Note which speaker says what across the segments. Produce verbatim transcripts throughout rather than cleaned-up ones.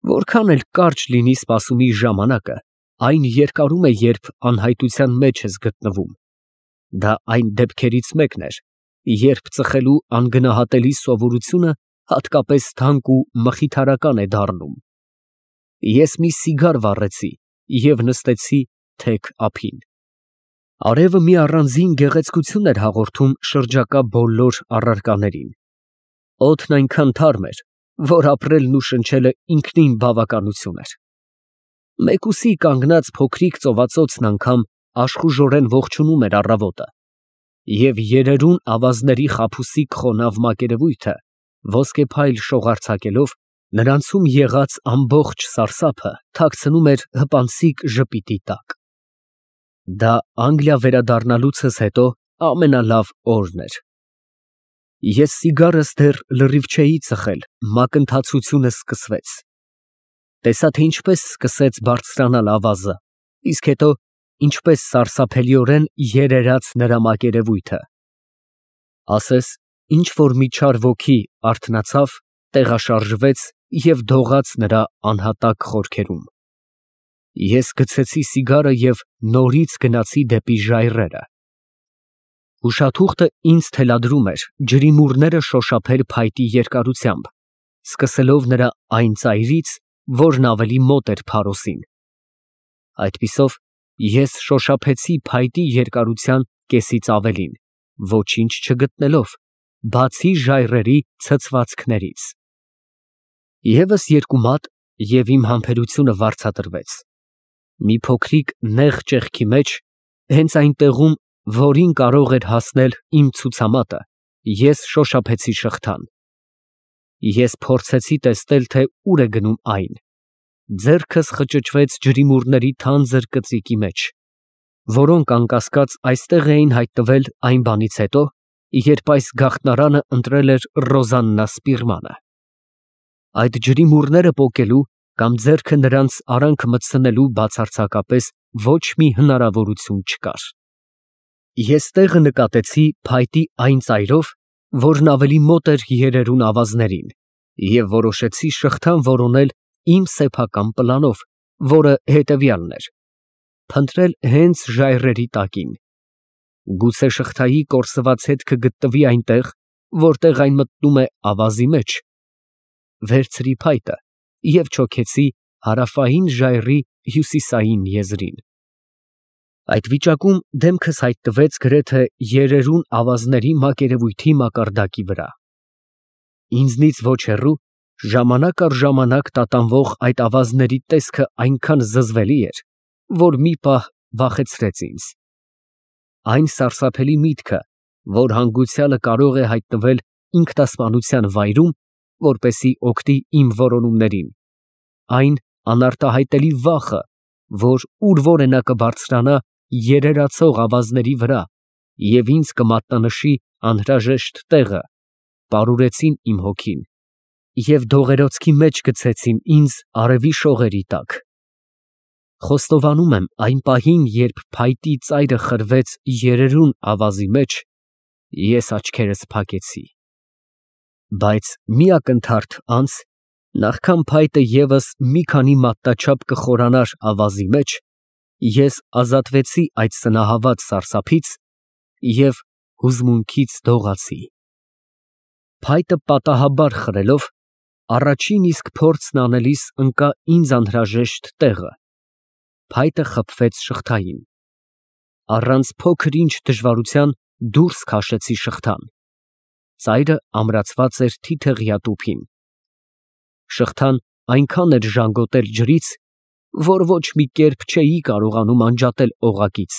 Speaker 1: Որքան էլ կարճ լինի սպասումի ժամանակը, այն երկարում է, երբ անհայտության մեջ ես գտնվում. դա այն դեպքերից մեկն էր, երբ ծխելու անգնահատելի սովորությունը հատկապես թանկ ու մխիթարական է դառնում։ Ես մի սիգար վառեցի և նստեցի թեք ափին։ Արևը մի առանձին գեղեցկություն էր հաղորդում շրջակա բոլոր առարկաներին։ Օդն այնքան թարմ էր, որ ապրելն ու շնչելը ինքնին բավականություն էր։ Մեկուսի կանգնած փոքրիկ ծովածոցն անգամ աշխուժորեն ողջունում էր առավոտը, և երերուն ավազների խաբուսիկ խոնավ մակերևույթը ոսկեփայլ շողարցակելով, նրանցում եղած ամբողջ սարսափը թաքցնում էր հպանցիկ ժպիտի տակ։ Դա Անգլիա վերադառնալուցս հետո ամենալավ օրն էր։ Ես սիգարս դեռ լրիվ չէի ծխել, մակընթացությունը սկսվեց։ Տեսա, թե ինչպես սկսեց բարձրանալ ավազը, իսկ հետո ինչպես սարսափելիորեն երերաց նրա մակերևույթը։ Ասես ինչ֊որ մի չար ոգի արթնացավ, տեղաշարժվեց և դողաց նրա անհատակ խորքերում։ Ես գցեցի սիգարը և նորից գնացի դեպի ժայռերը։ Ուշաթուղթը ինձ թելադրում էր ջրիմուռները շոշափել փայտի երկարությամբ, սկսելով նրա այն ծայրից, որն ավելի մոտ էր փարոսին։ Այդպիսով ես շոշափեցի փայտի երկարության կեսից ավելին, ոչինչ չգտնելով, բացի ժայռերի ցցվածքներից։ Եվս երկու մատ, և իմ համբերությունը վարձատրվեց։ Մի փոքրիկ նեղ ճեղքի մեջ, հենց այն տեղում, որին կարող էր հասնել իմ ցուցամատը, ես շոշափեցի շղթան։ Ես փորձեցի տեսնել, թե ուր է գնում այն։ Ձեռքս խճճվեց ջրիմուռների թանձր կծիկի մեջ, որոնք անկասկած այստեղ էին հայտնվել այն բանից հետո, երբ այս գաղտնարանը ընտրել էր Ռոզաննա Սպիրմանը։ Այդ ջրիմուռները պոկելու կամ ձեռքը նրանց արանք մտցնելու բացարձակապես ոչ մի հնարավորություն չկար։ Ես տեղը նկատեցի փայտի այն ծայրով, որն ավելի մոտ էր երերուն ավազներին, և որոշեցի շղթան որոնել իմ սեփական պլանով, որը հետևյալն էր. փնտրել հենց ժայռերի տակին։ Գուցե շղթայի կորսված հետքը գտնվի այնտեղ, որտեղ այն մտնում է ավազի մեջ։ Վերցրի փայտը և չոքեցի հարավային ժայռի հյուսիսային եզրին։ Այդ վիճակում դեմքս հայտնվեց գրեթե երերուն ավազների մակերևույթի մակարդակի վրա։ Ինձնից ոչ հեռու, ժամանակ առ ժամանակ տատանվող այդ ավազների տեսքը այնքան զզվելի էր, որ մի պահ վախեցրեց ինձ։ Այն սարսափելի միտքը, որ հանգուցյալը կարող է հայտնվել ինքնասպանության վայրում, որպեսզի օգտի իմ որոնումներին, այն անարտահայտելի վախը, որ ուր որ է նա կբարձրանա երերացող ավազների վրա և ինձ կմատնանշի անհրաժեշտ տեղը, պարուրեցին իմ հոգին և դողերոցքի մեջ գցեցին ինձ արևի շողերի տակ։ Խոստովանում եմ, այն պահին, երբ փայտի ծայրը խրվեց երերուն ավազի մեջ, ես աչքերս փակեցի։ Բայց մի ակնթարթ անց, նախքան փայտը ևս մի քանի մատնաչափ կխորանար ավազի մեջ, ես ազատվեցի այդ սնահավատ սարսափից և հուզմունքից դողացի։ Փայտը պատահաբար խրելով, առաջին իսկ փորձն անելիս ընկա ինձ անհրաժեշտ տեղը։ Փայտը խփվեց շղթային։ Առանց փոքր֊ինչ դժվարության դուրս քաշեցի շղթան։ Ծայրը ամրացված էր թիթեղյա տուփին։ Շղթան այնքան էր ժանգոտել ջրից, որ ոչ մի կերպ չէի կարողանում անջատել օղակից,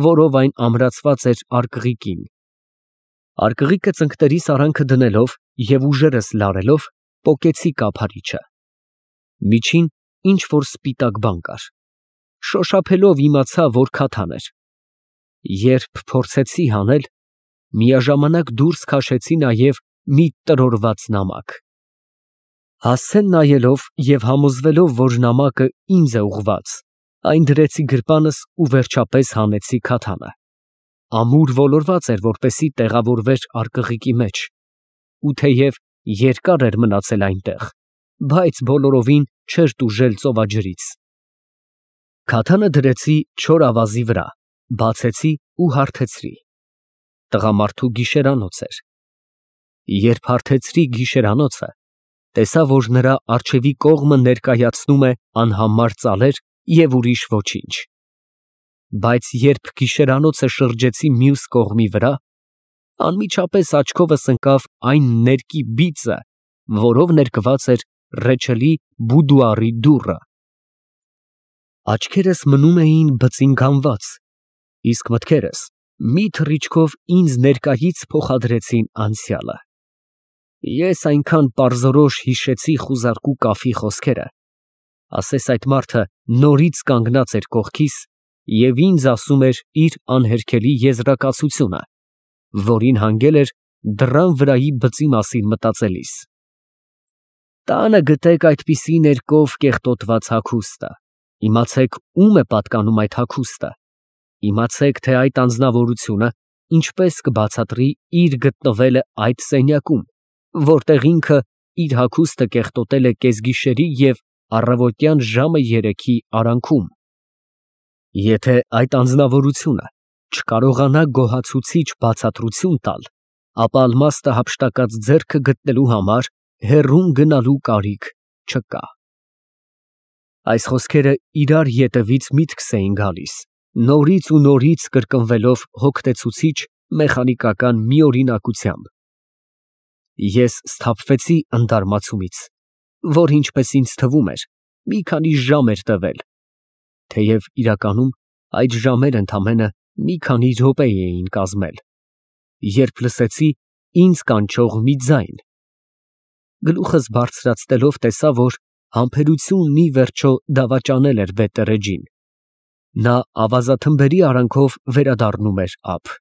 Speaker 1: որով այն ամրացված էր արկղիկին։ Արկղիկը ծնկներիս արանքը դնելով և ուժերս լարելով, պոկեցի կափարիչը։ Միջին ինչ֊որ սպիտակ բան կար։ Շոշափելով իմացա, որ քաթան էր։ Երբ փորձեցի հանել, միաժամանակ դուրս քաշեցի նաև մի տրորված նամակ։ Հասցեն նայելով և համոզվելով, որ նամակը ինձ է ուղղված, այն դրեցի գրպանս ու վերջապես հանեցի քաթանը։ Ամուր ոլորված էր, որպեսզի տեղավորվեր արկղիկի մեջ, ու թեև երկար էր մնացել այնտեղ, բայց բոլորովին չէր տուժել ծովաջրից։ Քաթանը դրեցի չոր ավազի վրա, բացեցի ու հարթեցրի։ Տղամարդու գիշերանոց էր։ Երբ հարթեցրի գիշերանոցը, տեսա, որ նրա առջևի կողմը ներկայացնում է անհամար ծալեր և ուրիշ ոչինչ։ Բայց երբ գիշերանոցը շրջեցի մյուս կողմի վրա, անմիջապես աչքովս ընկավ այն ներկի բիծը, որով ներկված էր ռեչելի բուդուարի դուռը։ Աչքերս մնում էին բծինգանված, իսկ մտքերս մի թռիչքով ինձ ներկայից փոխադրեցին անցյալը։ Ես այնքան պարզորոշ հիշեցի խուզարկու կափի խոսքերը, ասես այդ մարդը նորից կանգնած էր կողքիս և ինձ ասում էր իր անհերքելի եզրակացությունը, որին հանգել էր դռան վրայի բծի մասին մտածելիս։ Տանը գտեք այդպիսի ներկով կեղտոտված հագուստը, իմացեք ում է պատկանում այդ հագուստը, իմացեք, թե այդ անձնավորությունը ինչպես կբացատրի իր գտնվելը այդ սենյակում, որտեղ ինքը իր հագուստը կեղտոտել է կեսգիշերի և առավոտյան ժամը երեքի արանքում։ Եթե այդ անձնավորությունը չկարողանա գոհացուցիչ բացատրություն տալ, ապա ալմաստը հափշտակած ձեռքը գտնելու համար հեռուն գնալու կարիք չկա։ Այս խոսքերը իրար ետևից միտքս էին գալիս, նորից ու նորից կրկնվելով հոգնեցուցիչ մեխանիկական մի օրինակությամբ։ Ես սթափվեցի ընդարմացումից, որ ինչպես ինձ թվում էր, մի քանի ժամ էր տևել, թեև իրականում այդ ժամերն ընդամենը մի քանի րոպե էին կազմել, երբ լսեցի ինձ կանչող մի ձայն։ Գլուխս բարձրացնելով տեսա, որ համբերությունն ի վերջո դավաճանել էր բետերեջին։ Նա ավազաթմբերի արանքով վերադառնում էր ափ։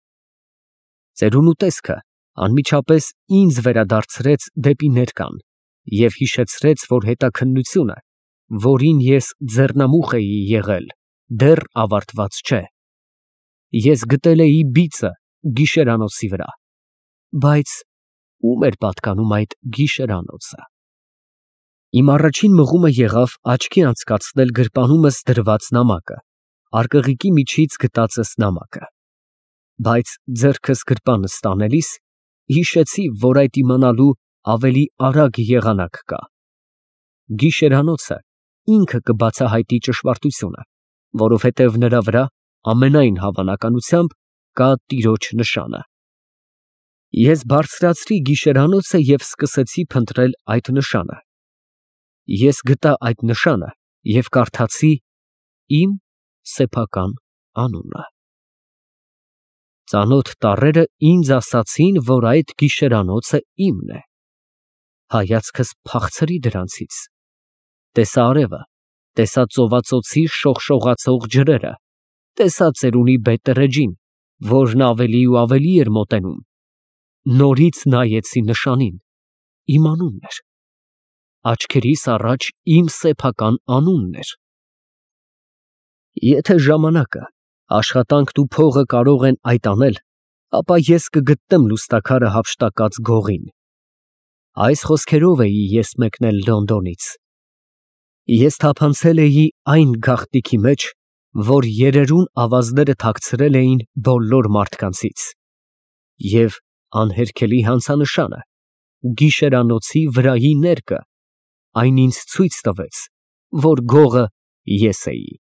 Speaker 1: Ծերունու տեսքը անմիջապես ինձ վերադարձրեց դեպի ներկան և հիշեցրեց, որ հետաքննությունը, որին ես ձեռնամուխ էի եղել, դեռ ավարտված չէ։ Ես գտել էի բիծը գիշերանոցի վրա, բայց ո՞ւմ էր պատկանում այդ գիշերանոցը։ Իմ առաջին մղումը եղավ աչքի անցկացնել գրպանումս դրված նամակը, արկղիկի միջից գտածս նամակը, բայց ձեռքս գրպանս տանելիս հիշեցի, որ այդ իմանալու ավելի արագ եղանակ կա։ Գիշերանոցը ինքը կբացահայտի ճշմարտությունը, որովհետև նրա վրա ամենայն հավանականությամբ կա տիրոջ նշանը։ Ես բարձրացրի գիշերանոցը և սկսեցի փնտրել այդ նշանը։ Ես գտա այդ նշանը և կարդացի իմ սեփական անունը։ Ծանոթ տառերը ինձ ասացին, որ այդ գիշերանոցը իմն է։ Հայացքս փախցրի դրանցից, տեսա արևը, տեսա ծովածոցի շողշողացող ջրերը, տեսա ծերունի բետերեջին, որն ավելի ու ավելի էր մոտենում, նորից նայեցի նշանին, իմ անունն էր, աչքերիս առաջ իմ սեփական անունն էր։ Եթե ժամանակը, աշխատանքն ու փողը կարող են այդ անել, ապա ես կգտնեմ լուստաքարը հափշտակած գողին։ Այս խոսքերով էի ես մեկնել Լոնդոնից։ Ես թափանցել էի այն գաղտնիքի մեջ, որ երերուն ավազները թաքցրել էին բոլոր մարդկանցից, և անհերքելի հանցանշանը, գիշերանոցի վրայի ներկը, այն ինձ ցույց տվեց, որ գողը ես էի։